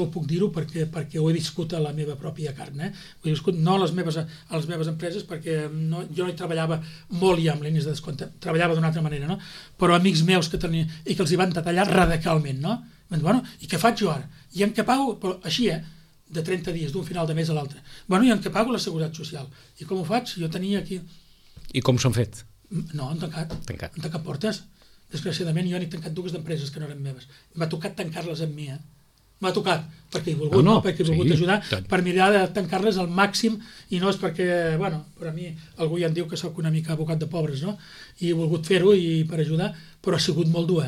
ho puc dir-ho perquè ho he viscut a la meva pròpia carn. Ho he viscut no a les meves empreses, perquè jo no hi treballava molt ja amb línies de descompte, treballava d'una altra manera, no? Però amics meus que tenien i que els hi van detallar radicalment, no? Bueno, i què faig jo ara? I en què pago? Però així, de 30 dies, d'un final de mes a l'altre. Bueno, i en què pago la Seguretat Social? I com ho faig? Jo tenia aquí... I com s'han fet? No, han tancat. Han tancat portes. Desgraciadament, jo n'he tancat 2 d'empreses que no eren meves. M'ha tocat tancar-les amb mi, M'ha tocat, perquè he volgut, perquè he volgut ajudar, per mirar de tancar-les al màxim, i no és perquè, bueno, per a mi algú ja em diu que sóc una mica abocat de pobres, no? I he volgut fer-ho i per ajudar, però ha sigut molt dur,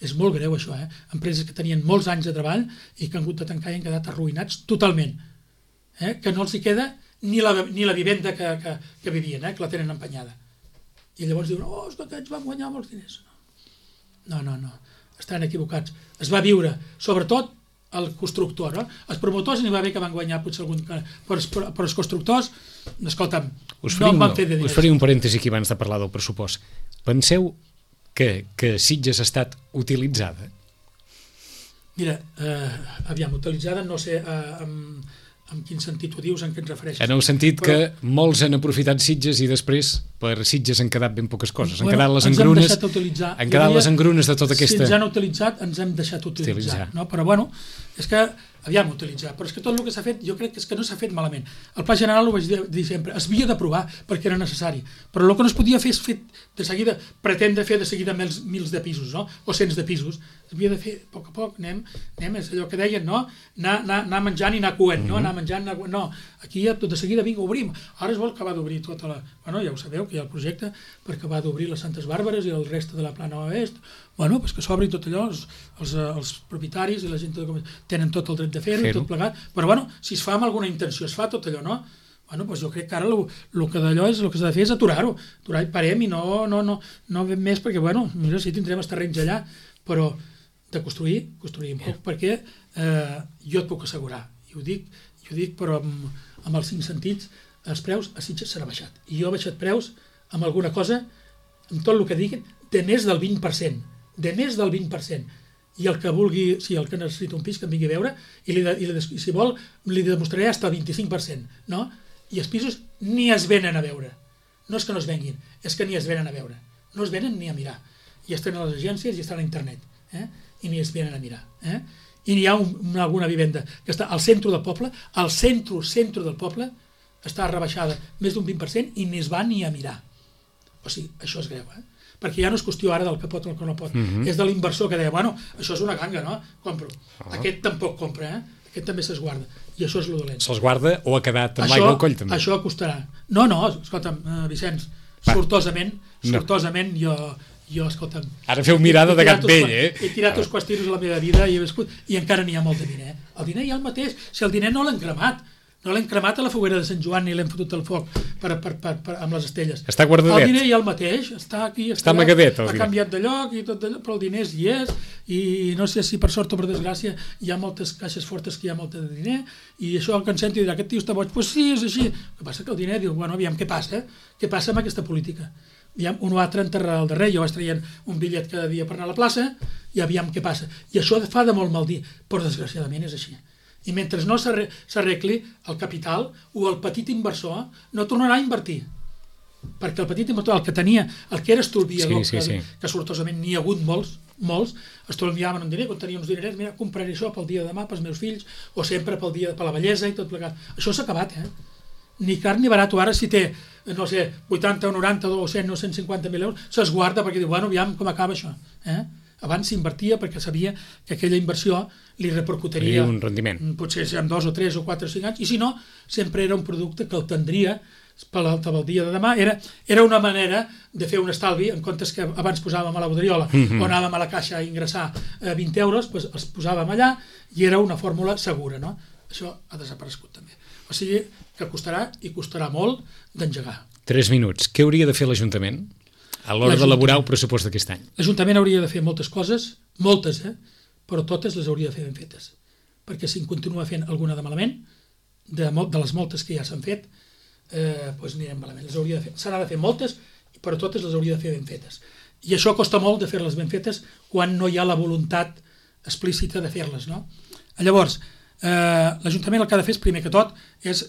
És molt greu això, Empreses que tenien molts anys de treball i que han hagut de tancar i han quedat arruïnats totalment. Que no els hi queda ni la vivenda que vivien, que la tenen empenyada. I llavors diuen, és que aquests van guanyar molts diners. No, estan equivocats. Es va viure, sobretot, el constructor, no? Els promotors n'hi va bé que van guanyar potser algun... Però els constructors, escolta'm, no en van fer de diners. Us faré un parèntesi aquí abans de parlar del pressupost. Penseu que Sitges ha estat utilitzada? Mira, aviam, utilitzada, no sé en quin sentit ho dius, en què ens refereixes. En el sentit que molts han aprofitat Sitges i després per Sitges han quedat ben poques coses. Han quedat les engrunes de tota aquesta... Si ens han utilitzat, ens hem deixat utilitzar. No? Però bueno, és que aviam utilitzar, però és que tot el que s'ha fet jo crec que és que no s'ha fet malament. El Pla General, ho vaig dir sempre, es havia d'aprovar perquè era necessari, però el que no es podia fer és fer de seguida, pretendre fer de seguida mils de pisos, no? O cents de pisos. S'havia de fer a poc, anem, és allò que deien, no? Anar menjant i anar coent, no? Anar menjant, no, aquí ja tot de seguida, vinga, obrim. Ara es vol acabar d'obrir tota la... Bueno, ja ho sabeu, que hi ha el projecte per acabar d'obrir les Santes Bàrbares i el reste de la Plana Oest. Bueno, pues que s'obrin tot allò, els propietaris i la gent tenen tot el dret de fer-ho, tot plegat, però bueno, si es fa amb alguna intenció, es fa tot allò, no? Bueno, doncs jo crec que ara el que d'allò és, el que s'ha de fer és aturar-ho i parem i no ben més, perquè bueno, mira, sí, tindrem els terrenys allà, però de construir un poc, perquè jo et puc assegurar, i ho dic però amb els 5 sentits, els preus a Sitges s'han baixat, i jo he baixat preus amb alguna cosa, amb tot el que diguin, de més del 20%, i el que vulgui, el que necessita un pis, que em vingui a veure, i si vol, li demostraré fins al 25%, no? I els pisos ni es venen a veure. No és que no es venguin, és que ni es venen a veure. No es venen ni a mirar. I estan a les agències i estan a internet, i ni es venen a mirar. I n'hi ha alguna vivenda que està al centre del poble, al centre del poble, està rebaixada més d'un 20% i ni es va ni a mirar. O sigui, això és greu, perquè ja no és qüestió ara del que pot o el que no pot, és de l'inversor que deia, bueno, això és una ganga, no? Compro. Aquest tampoc compra, aquest també s'esguarda, i això és lo dolent. Se'ls guarda o ha quedat amb l'aigua al coll, també? Això costarà. No, escolta'm, Vicenç, sortosament, jo, escolta'm... Ara feu mirada de gat vell, He tirat uns quants tiros a la meva vida i he viscut, i encara n'hi ha molt de diner. El diner hi ha el mateix, si el diner no l'hem cremat, no l'hem cremat a la foguera de Sant Joan ni l'hem fotut al foc amb les estelles. Està guardadet. El diner hi ha el mateix, està aquí, està amagadet. Ha canviat de lloc i tot allò, però el diner hi és, i no sé si per sort o per desgràcia hi ha moltes caixes fortes que hi ha molt de diner, i això el que en sento dirà, aquest tio està boig, doncs sí, és així. El que passa que el diner diu, bueno, aviam què passa amb aquesta política. Aviam, un o altre enterrarà el darrer, jo vaig traient un bitllet cada dia per anar a la plaça, i aviam què passa. I això fa de molt mal dir, però desgraciadament és així. I mentre no s'arregli el capital o el petit inversor no tornarà a invertir, perquè el petit inversor, el que tenia, el que era estolviador, que sortosament n'hi ha hagut molts, estolviaven un diner, quan tenia uns dinerets, mira, compraré això pel dia de demà pels meus fills, o sempre per la bellesa i tot plegat. Això s'ha acabat, ni car ni barat. Ara si té, no sé, 80 o 90 o 100 o 150.000 euros, s'esguarda perquè diu, bueno, aviam com acaba això, Abans s'invertia perquè sabia que aquella inversió li repercutiria un rendiment. Potser en 2 o 3 o 4 o 5 anys, i si no, sempre era un producte que el tendria pel dia de demà. Era una manera de fer un estalvi, en comptes que abans posàvem a la bodriola o anàvem a la caixa a ingressar 20 euros, doncs els posàvem allà i era una fórmula segura, no? Això ha desaparegut també. O sigui que costarà, i costarà molt, d'engegar. 3 minuts. Què hauria de fer l'Ajuntament a l'hora d'elaborar el pressupost d'aquest any? L'Ajuntament hauria de fer moltes coses, moltes, però totes les hauria de fer ben fetes. Perquè si en continua fent alguna de malament, de les moltes que ja s'han fet, doncs anirem malament. S'han de fer moltes, però totes les hauria de fer ben fetes. I això costa molt de fer-les ben fetes quan no hi ha la voluntat explícita de fer-les, no? Llavors, l'Ajuntament el que ha de fer, primer que tot, és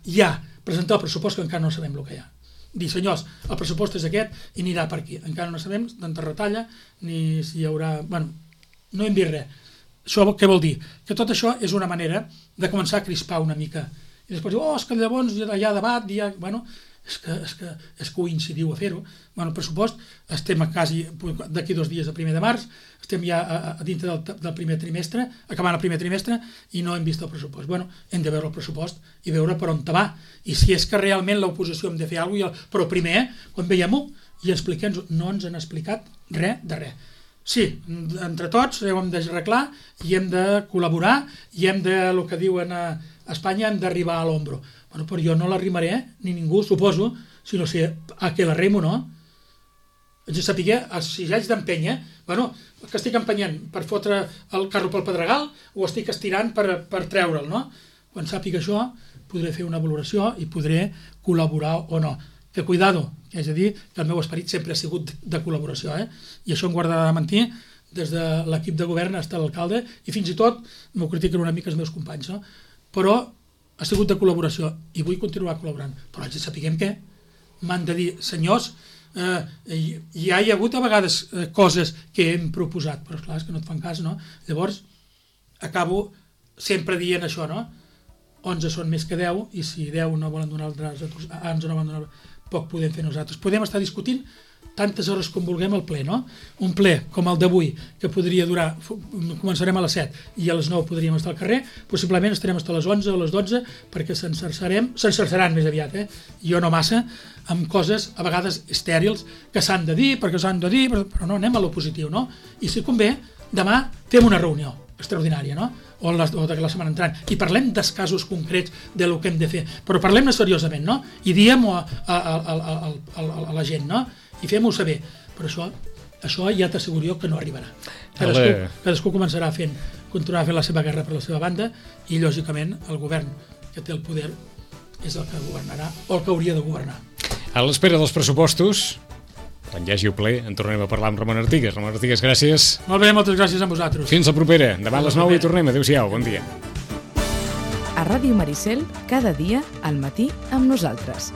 ja presentar el pressupost, que encara no sabem el que hi ha. Dir, senyors, el pressupost és aquest i anirà per aquí. Encara no sabem tanta retalla, ni si hi haurà... Bueno, no hem vist res. Això què vol dir? Que tot això és una manera de començar a crispar una mica. I després diu, és que llavors hi ha debat, Bueno, és que ho incidiu a fer-ho. Bueno, el pressupost, estem quasi d'aquí 2 dies, el 1 de març, estem ja a dintre del primer trimestre, acabant el primer trimestre, i no hem vist el pressupost. Bueno, hem de veure el pressupost i veure per on va. I si és que realment l'oposició hem de fer alguna cosa, però primer, quan veiem-ho, i expliquem-ho, no ens han explicat res de res. Sí, entre tots ho hem d'arreglar i hem de col·laborar i hem de, el que diuen a Espanya, hem d'arribar a l'ombro. Bueno, però jo no l'arrimaré, ni ningú, suposo, si no sé a què l'arrimo, no? Haig de saber, si ja haig d'empènyer, bueno, que estic empenyent per fotre el carro pel pedregal o estic estirant per treure'l, no? Quan sàpiga això, podré fer una valoració i podré col·laborar o no. Que cuidado, és a dir, que el meu esperit sempre ha sigut de col·laboració, i això em guardarà de mentir des de l'equip de govern fins a l'alcalde, i fins i tot m'ho critiquen una mica els meus companys, no? Però ha sigut de col·laboració i vull continuar col·laborant, però haig de saber què m'han de dir, senyors, ja hi ha hagut a vegades coses que hem proposat, però esclar, és que no et fan cas, no? Llavors acabo sempre dient això, no? 11 són més que 10, i si 10 no volen donar ens no volen donar, poc podem fer nosaltres. Podem estar discutint tantes hores com vulguem al ple, no? Un ple com el d'avui, que podria durar, començarem a les 7 i a les 9 podríem estar al carrer, possiblement estarem fins a les 11 o a les 12 perquè s'encerçaran més aviat, jo no massa, amb coses a vegades estèrils que s'han de dir, perquè s'han de dir, però no, anem a lo positiu, no? I si convé, demà fem una reunió extraordinària, no? O de la setmana entrant, i parlem dels casos concrets de lo que hem de fer, però parlem-ne seriosament, no? I diem-ho a la gent, no? I fem-ho saber, però això ja t'asseguro jo que no arribarà. Cadascú començarà continuarà fent la seva guerra per la seva banda, i lògicament el govern que té el poder és el que governarà o el que hauria de governar. A l'espera dels pressupostos, Quan hi hagi el ple en tornem a parlar amb Ramon Artigas. Ramon Artigas, gràcies. Molt bé, moltes gràcies a vosaltres. Fins la propera. Demà a les 9 hi tornem. Adéu-siau, bon dia. A Ràdio Maricel, cada dia al matí amb nosaltres.